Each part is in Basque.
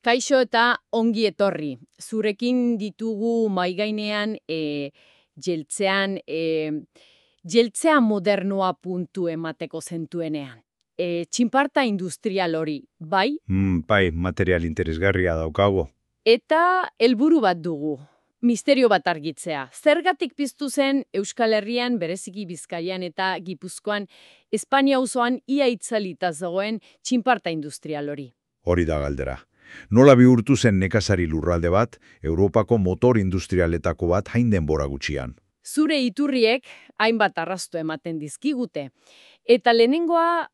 Kaixo eta ongi etorri. Zurekin ditugu maigainean jeltzea modernoa puntu emateko zentuenean. Txinparta industrial hori, bai? Bai, material interesgarria daukago. Eta helburu bat dugu. Misterio bat argitzea. Zergatik piztu zen Euskal Herrian, bereziki Bizkaian eta Gipuzkoan, Espainia auzoan ia itzalita zegoen txinparta industrial hori? Hori da galdera. Nola bihurtu zen nekazari lurralde bat, Europako motor industrialetako bat hain denbora gutxian. Zure iturriek hainbat arrasto ematen dizkigute. Eta lehenengoa,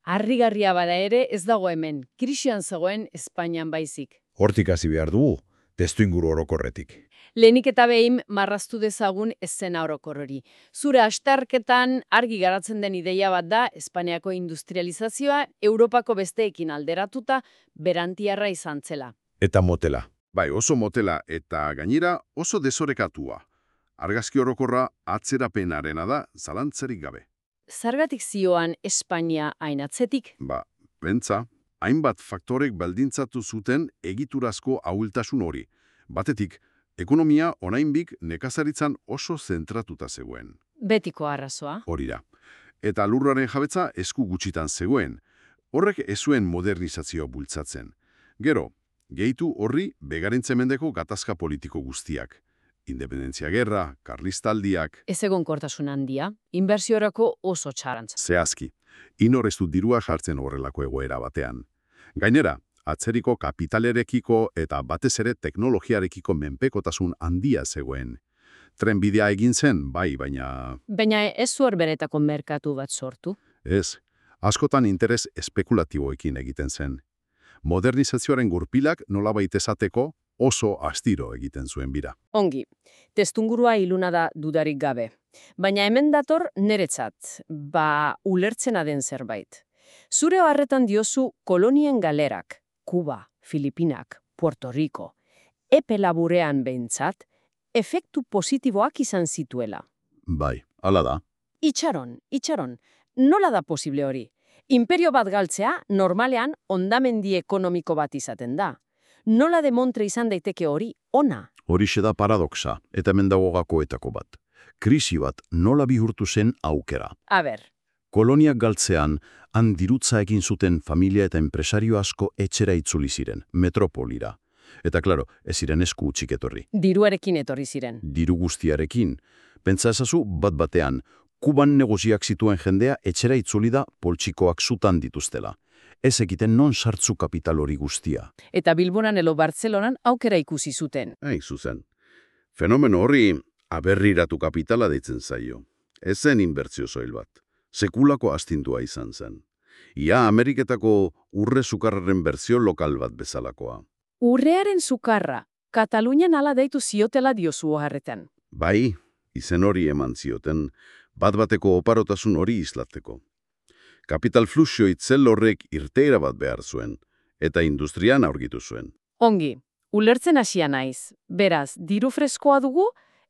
harrigarria bada ere ez dago hemen, krisian zegoen Espainian baizik. Hortik hasi behar dugu, testuinguru orokorretik. Lehenik eta behin marraztu dezagun eszena orokor hori. Zure astarketan argi garatzen den ideia bat da Espainiako industrializazioa Europako besteekin alderatuta berantiarra izan zela. Eta motela. Bai, oso motela eta gainera oso desorekatua. Argazki orokorra atzerapenarena da zalantzarik gabe. Zergatik zioan Espainia hain atzetik? Pentsa, hainbat faktorek baldintzatu zuten egiturazko ahultasun hori. Batetik, ekonomia oraindik nekazaritzan oso zentratuta zegoen. Betiko arrazoa. Hori da. Eta lurraren jabetza esku gutxitan zegoen. Horrek ez zuen modernizazioa bultzatzen. Gero, gehitu horri begarentze mendeko gatazka politiko guztiak. Independentzia gerra, karlistaldiak... Ez egonkortasun handia, inbertsiorako oso txarantza. Zehazki, inor ez du dirua jartzen horrelako egoera batean. Gainera, atzeriko kapitalerekiko eta batez ere teknologiarekiko menpekotasun handia zegoen. Trenbidea egin zen, bai, baina... Baina ez zuer beretako merkatu bat sortu? Ez, askotan interes espekulatiboekin egiten zen. Modernizazioaren gurpilak nolabait esateko oso astiro egiten zuen bira. Ongi, testungurua iluna da dudarik gabe. Baina hemen dator niretzat, ulertzena den zerbait. Zure harretan diozu kolonien galerak, Kuba, Filipinak, Puerto Rico, epe laburean behintzat, efektu positiboak izan zituela. Bai, hala da. Itxaron, nola da posible hori? Imperio bat galtzea normalean hondamendi ekonomiko bat izaten da. Nola demontre izan daiteke hori ona? Horixe da paradoxa, eta hemen dago gakoetako bat. Krisi bat nola bihurtu zen aukera. Koloniak galtzean, han dirutza egin zuten familia eta enpresario asko etxera itzuli ziren, metropolira. Eta klaro, ez ziren esku utzik etorri. Diruarekin etorri ziren. Diru guztiarekin. Pentsa ezazu bat-batean, Kuban negoziak zituen jendea etxera itzuli da poltsikoak zutan dituztela. Ez egiten non sartzu kapital hori guztia. Eta Bilbonan edo Bartzelonan aukera ikusi zuten. Zuzen. Fenomeno horri aberriratu kapitala deitzen zaio. Ez zen inbertsio soil bat. Sekulako astindua izan zen. Ia Ameriketako urre sukarraren berzio lokal bat bezalakoa. Urrearen sukarra, Katalunian ala deitu ziotela diozu harretan. Bai, izen hori eman zioten, bat-bateko oparotasun hori islatzeko. Kapital fluxio itzel horrek irteera bat behar zuen, eta industrian aurkitu zuen. Ongi, ulertzen hasia naiz. Beraz, diru freskoa dugu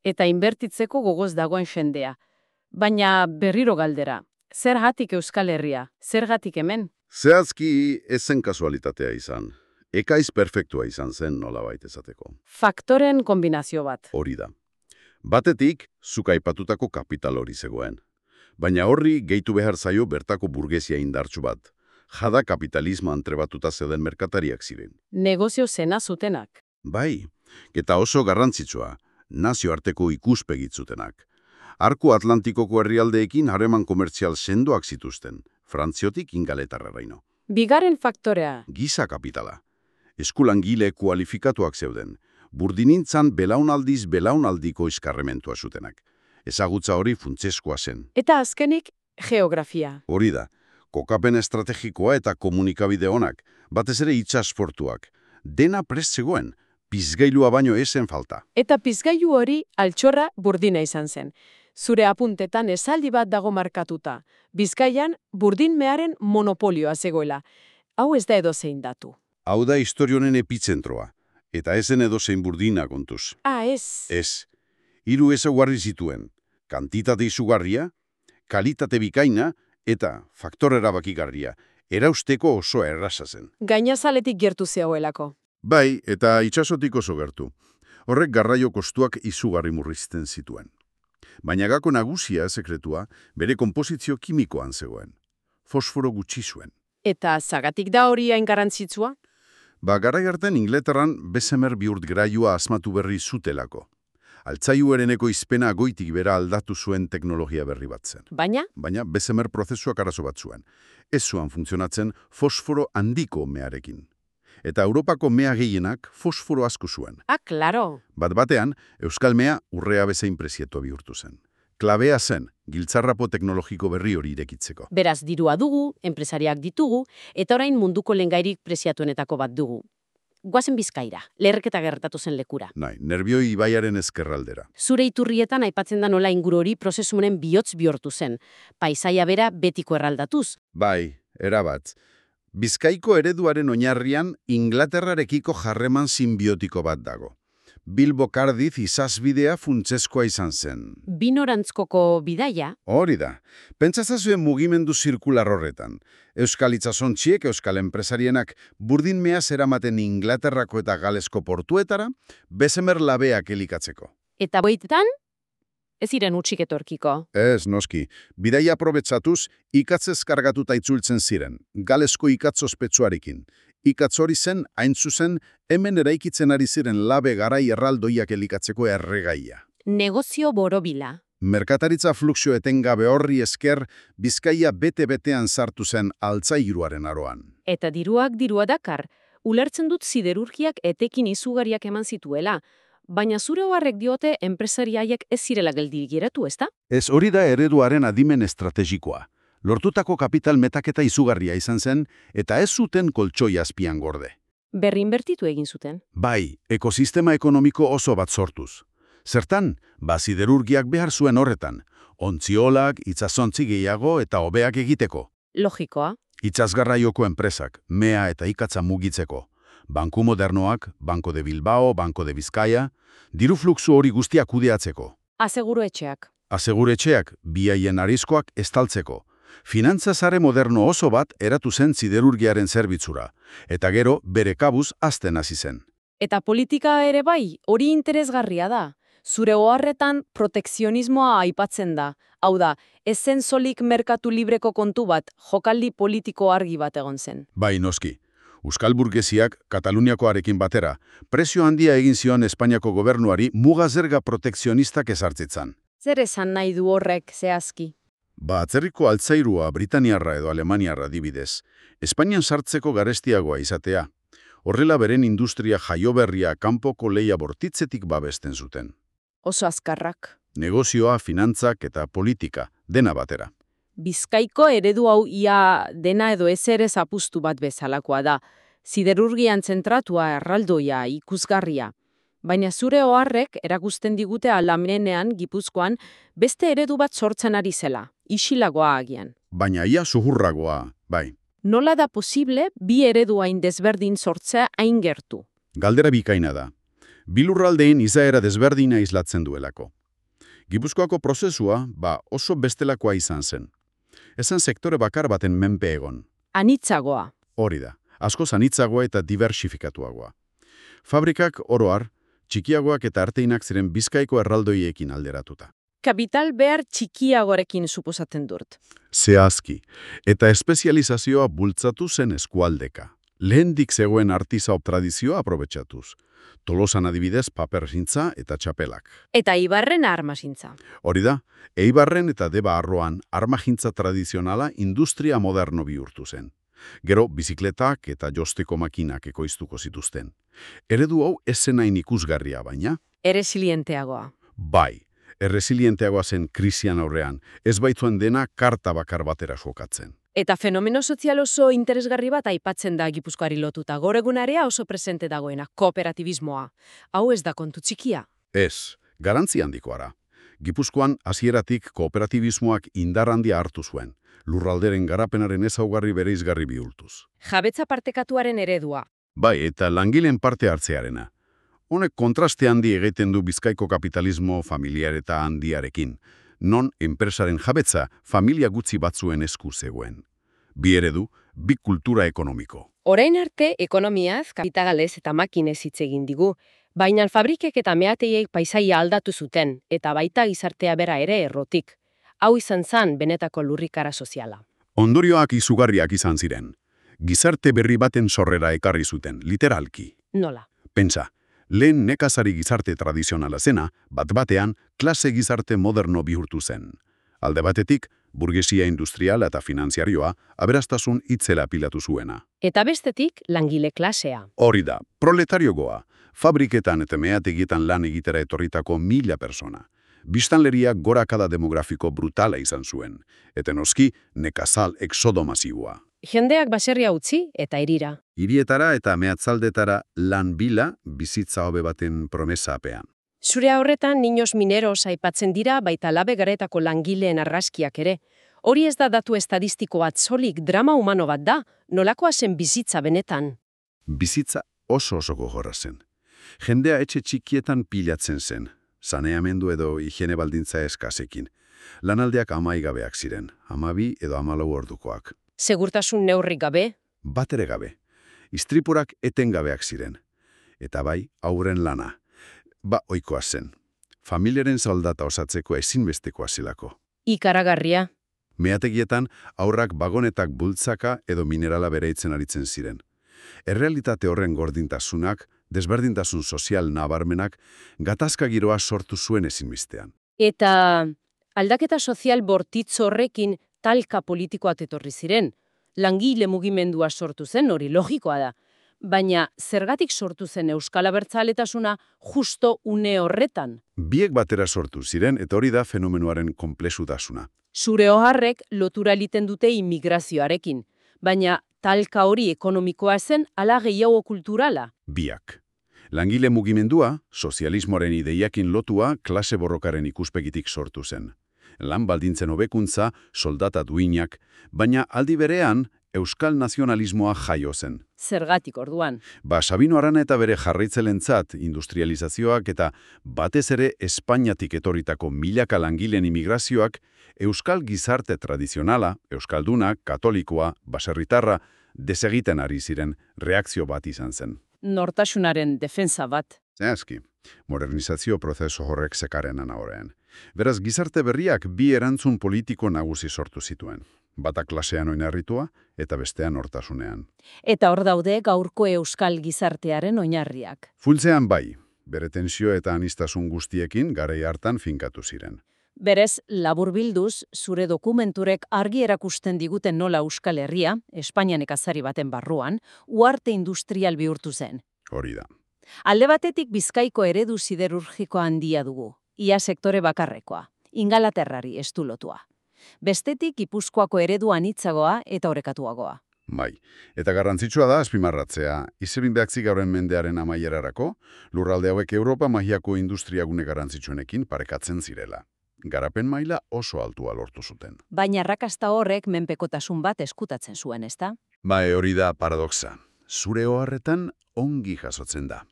eta inbertitzeko gogoz dagoen jendea. Baina berriro galdera, zergatik Euskal Herria, zergatik hemen? Zehazki ez zen kasualitatea izan. Ekaiz perfektua izan zen nolabait esateko. Faktoren kombinazio bat. Hori da. Batetik, zuk aipatutako kapital hori zegoen. Baina horri gehitu behar zaio bertako burgesia indartsu bat. Jada kapitalismo antrebatuta zeuden merkatariak ziren. Negozio zena zutenak. Bai, eta oso garrantzitsua, nazioarteko ikuspegit zutenak. Arku Atlantikoko herrialdeekin harreman komertzial sendoak zituzten, Frantziotik Ingalaterraraino. Bigarren faktorea. Giza kapitala. Eskulangile kualifikatuak zeuden. Burdinintzan belaunaldiko eskarrementua zutenak. Ezagutza hori funtseskoa zen. Eta azkenik, geografia. Hori da, kokapen estrategikoa eta komunikabide onak, batez ere itsasportuak. Dena prest zegoen, pizgailua baino esen falta. Eta pizgailu hori altxorra Burdina izan zen. Zure apuntetan esaldi bat dago markatuta. Bizkaian burdinmearen monopolioa zegoela. Hau ez da edozein datu. Hau da historionen epizentroa. Eta ezen edozein Burdina kontuz. Ez. Ez. 3 ezaugarri zituen. Kantitate izugarria, kalitate bikaina eta faktore erabakigarria. erausteko oso erraza zen. Gainazaletik gertu zegoelako. Bai, eta itsasotik oso gertu. Horrek garraio kostuak izugarri murrizten zituen. Baina gako nagusia sekretua bere konposizio kimikoan zegoen. Fosforo gutxi zuen. Eta zagatik da hori hain garrantzitsua? Garai hartan Inglaterran Bessemer bihurtgarailua asmatu berri zutelako. Altzaiuereneko izpena goitik bera aldatu zuen teknologia berri bat zen. Baina? Baina Bessemer prozesuak arazo bat zuen. Ez zuan funtzionatzen fosforo handiko mearekin. Eta Europako mea gehienak fosforo asko zuen. Klaro. Bat-batean, Euskal mea urrea bezain prezietua bihurtu zen. Klabea zen, giltzarrapo teknologiko berri hori irekitzeko. Beraz, dirua dugu, enpresariak ditugu, eta orain munduko lehengairik preziatuenetako bat dugu. Goazen Bizkaira, leherketa gertatu zen lekura. Nerbioi ibaiaren ezkerraldera. Zure iturrietan aipatzen da nola inguru hori prozesu honen bihotz bihurtu zen. Paisaia bera betiko eraldatuz. Bai, erabat. Bizkaiko ereduaren oinarrian Inglaterrarekiko harreman sinbiotiko bat dago. Bilbo-Cardiff izazbidea funtsezkoa izan zen. Binorantzkoko bidaia? Hori da. Pentsazazuen mugimendu zirkular horretan. Euskal itsasontziek, euskal enpresarienak burdin meaz eramaten Inglaterrako eta Galesko portuetara, Bessemer labeak elikatzeko. Eta boitetan? Ez ziren utzik etorkiko. Ez, noski. Bidaia aprobetsatuz, ikatzez kargatuta itzultzen ziren, Galesko ikatz ospetsuarekin. Ikatz hori zen, hain zuzen, hemen eraikitzen ari ziren labe garai erraldoiak elikatzeko erregaia. Negozio borobila. Merkataritza fluxio etengabe horri esker, Bizkaia bete-betean sartu zen altzairuaren aroan. Eta diruak dirua dakar, ulertzen dut siderurgiak etekin izugariak eman zituela, baina zure oharrek diote enpresariaiek ez zirela geldirik geratu, ezta? Ez hori da ereduaren adimen estrategikoa. Lortutako kapital metaketa izugarria izan zen, eta ez zuten koltsoi azpian gorde. Berrinbertitu egin zuten. Bai, ekosistema ekonomiko oso bat sortuz. Zertan, siderurgiak behar zuen horretan, ontziolak, itsasontzi gehiago eta hobeak egiteko. Logikoa. Itsasgarraioko enpresak, mea eta ikatza mugitzeko. Banku modernoak, Banco de Bilbao, Banco de Bizkaia, diru fluxu hori guztiak kudeatzeko. Aseguruetxeak. Aseguretxeak, biaien arizkoak estaltzeko. Finantzazare moderno oso bat eratu zen siderurgiaren zerbitzura, eta gero bere kabuz hazten hasi zen. Eta politika ere bai, hori interesgarria da. Zure oharretan protekzionismoa aipatzen da. Hau da, ez zen solik merkatu libreko kontu bat, jokaldi politiko argi bat egon zen. Bai, noski. Euskal burgesiak, Kataluniakoarekin batera, prezio handia egin zion Espainiako gobernuari muga zerga protekzionistak ezartzitzan. Zer esan nahi du horrek zehazki? Atzerriko altzairua Britaniarra edo Alemaniarra adibidez, Espainian sartzeko garestiagoa izatea. Horrela beren industria jaioberria kanpoko leia bortitzetik babesten zuten. Oso azkarrak. Negozioa, finantzak eta politika, dena batera. Bizkaiko eredu hau ia dena edo ezer apustu bat bezalakoa da. Siderurgian zentratua erraldoia ikusgarria. Baina zure oharrek erakusten digute Alamenean, Gipuzkoan, beste eredu bat sortzen ari zela, isilagoa agian. Baina ia zuhurragoa, bai. Nola da posible bi eredu hain desberdin sortzea hain gertu? Galdera bikaina da. Bilurraldeen izaera desberdina islatzen duelako. Gipuzkoako prozesua, oso bestelakoa izan zen. Ezen sektore bakar baten menpe egon. Anitzagoa. Hori da, askoz anitzagoa eta diversifikatuagoa. Fabrikak oroar, txikiagoak eta arteinak ziren Bizkaiko erraldoiekin alderatuta. Kapital behar txikiagorekin suposatzen dut. Zehazki, eta espezializazioa bultzatu zen eskualdeka. Lehendik zegoen artisau tradizioa aprobetxatuz. Tolosan adibidez paperzintza eta txapelak. Eta Eibarren armazintza. Hori da, Eibarren eta Deba Arroan armagintza tradizionala industria moderno bihurtu zen. Gero, bizikletak eta josteko makinak ekoiztuko zituzten. Eredu hau ez zenain ikusgarria baina? Erresilienteagoa. Bai, erresilienteagoa zen krisian aurrean, ez baitzuen dena karta bakar batera jokatzen. Eta fenomeno sozial oso interesgarri bat aipatzen da Gipuzkoari lotuta. Gaur egunarea oso presente dagoena, kooperatibismoa. Hau ez da kontu txikia. Ez, garantzi handikoara. Gipuzkoan hasieratik kooperatibismoak indar handia hartu zuen, lurralderen garapenaren ezaugarri bereizgarri bihurtuz. Jabetza partekatuaren eredua. Bai, eta langileen parte hartzearena. Honek kontraste handi egiten du Bizkaiko kapitalismo familiar eta handiarekin, non enpresaren jabetza familia gutxi batzuen esku zegoen. Bi eredu, bi kultura ekonomiko. Orain arte, ekonomiaz, kapitalez eta makinez hitz egin digu, baina fabrikek eta meateiek paisaia aldatu zuten, eta baita gizartea bera ere errotik. Hau izan zen benetako lurrikara soziala. Ondorioak izugarriak izan ziren. Gizarte berri baten sorrera ekarri zuten, literalki. Nola? Pentsa, lehen nekazari gizarte tradizionala zena, bat-batean, klase gizarte moderno bihurtu zen. Alde batetik, burgesia industrial eta finanziarioa aberastasun itzela pilatu zuena. Eta bestetik, langile klasea. Hori da, proletariogoa, fabriketan eta meategietan lan egitera etorritako 1000 persona. Biztanleria gorakada demografiko brutala izan zuen, eta noski nekazal exodo masiboa. Jendeak baserria utzi eta hirira. Hirietara eta meatzaldetara lan bila bizitza hobe baten promesa apean. Zure horretan niños mineros aipatzen dira baita labe garetako langileen argazkiak ere. Hori ez da datu estadistiko bat solik, drama humano bat da, nolakoa zen bizitza benetan. Bizitza oso gogorra zen. Jendea etxe txikietan pilatzen zen, saneamendu edo higiene baldintza eskasekin. Lanaldeak amaigabeak ziren, 12 edo 14 ordukoak. Segurtasun neurrik gabe? Batere gabe. Istripurak etengabeak ziren. Eta bai, hauren lana. Ohikoa zen. Familiaren soldata osatzeko ezinbestekoa zelako. Ikaragarria. Meategietan, aurrak bagonetak bultzaka edo minerala bereitzen aritzen ziren. Errealitate horren gordintasunak, desberdintasun sozial nabarmenak, gatazka giroa sortu zuen ezinbestean. Eta aldaketa sozial bortitz horrekin talka politikoat etorri ziren. Langile mugimendua sortu zen, hori logikoa da. Baina zergatik sortu zen euskal abertzaletasuna justo une horretan? Biek batera sortu ziren eta hori da fenomenoaren konplexutasuna. Zure oharrek lotura egiten dute immigrazioarekin, baina talka hori ekonomikoa zen ala gehiago kulturala? Biak. Langile mugimendua, sozialismoaren ideiakin lotua, klase borrokaren ikuspegitik sortu zen. Lan baldintzen hobekuntza, soldata duinak, baina aldi berean, euskal nazionalismoa jaio zen. Zergatik orduan? Sabino Arana eta bere jarraitzelentzat industrializazioak eta batez ere Espainiatik etorritako milaka langileen immigrazioak euskal gizarte tradizionala, euskalduna, katolikoa, baserritarra, desegiten ari ziren reakzio bat izan zen. Nortasunaren defensa bat. Zehazki, modernizazio prozesu horrek sekarenen aurrean. Beraz, gizarte berriak bi erantzun politiko nagusi sortu zituen. Bata klasean oinarritua eta bestean nortasunean. Eta hor daude gaurko euskal gizartearen oinarriak. Funtzean bai, bere tensio eta aniztasun guztiekin garai hartan finkatu ziren. Berez, laburbilduz, zure dokumenturek argi erakusten diguten nola Euskal Herria, Espainian nekazari baten barruan, uharte industrial bihurtu zen. Hori da. Alde batetik Bizkaiko eredu siderurgiko handia dugu, ia sektore bakarrekoa, Ingalaterrari estulotua. Bestetik Gipuzkoako eredu anitzagoa eta orekatuagoa. Bai, eta garrantzitsua da azpimarratzea, izebin behatzi gauren mendearen amaierarako, lurralde hauek Europa magiako industriagune garrantzitsuenekin parekatzen zirela. Garapen maila oso altua lortu zuten. Baina arrakasta horrek menpekotasun bat eskutatzen zuen, ezta? Bai, hori da paradoxa. Zure oharretan ongi jasotzen da.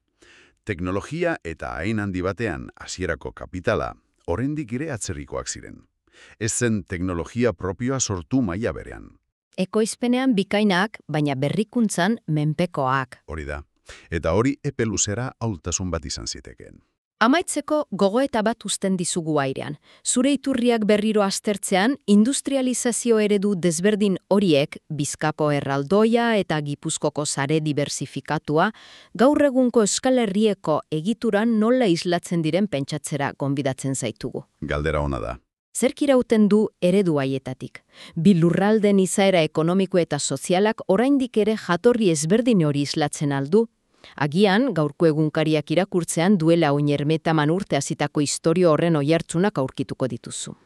Teknologia eta hain handi batean hasierako kapitala oraindik ere atzerrikoak ziren. Ez zen teknologia propioa sortu maila berean. Ekoizpenean bikainak, baina berrikuntzan menpekoak. Hori da. Eta hori epe luzera ahultasun bat izan zitekeen. Amaitzeko gogoeta bat uzten dizugu airean. Zure iturriak berriro aztertzean, industrializazio eredu desberdin horiek, Bizkaiko erraldoia eta Gipuzkoko sare diversifikatua, gaur egunko Euskal Herrieko egituran nola islatzen diren pentsatzera gonbidatzen zaitugu. Galdera ona da. Zerk irauten du eredu haietatik? Bi lurralden izaera ekonomiko eta sozialak oraindik ere jatorri ezberdin hori islatzen aldu? Agian, gaurko egunkariak irakurtzean duela oinermetaman urte hasitako istorio horren oihartzunak aurkituko dituzu.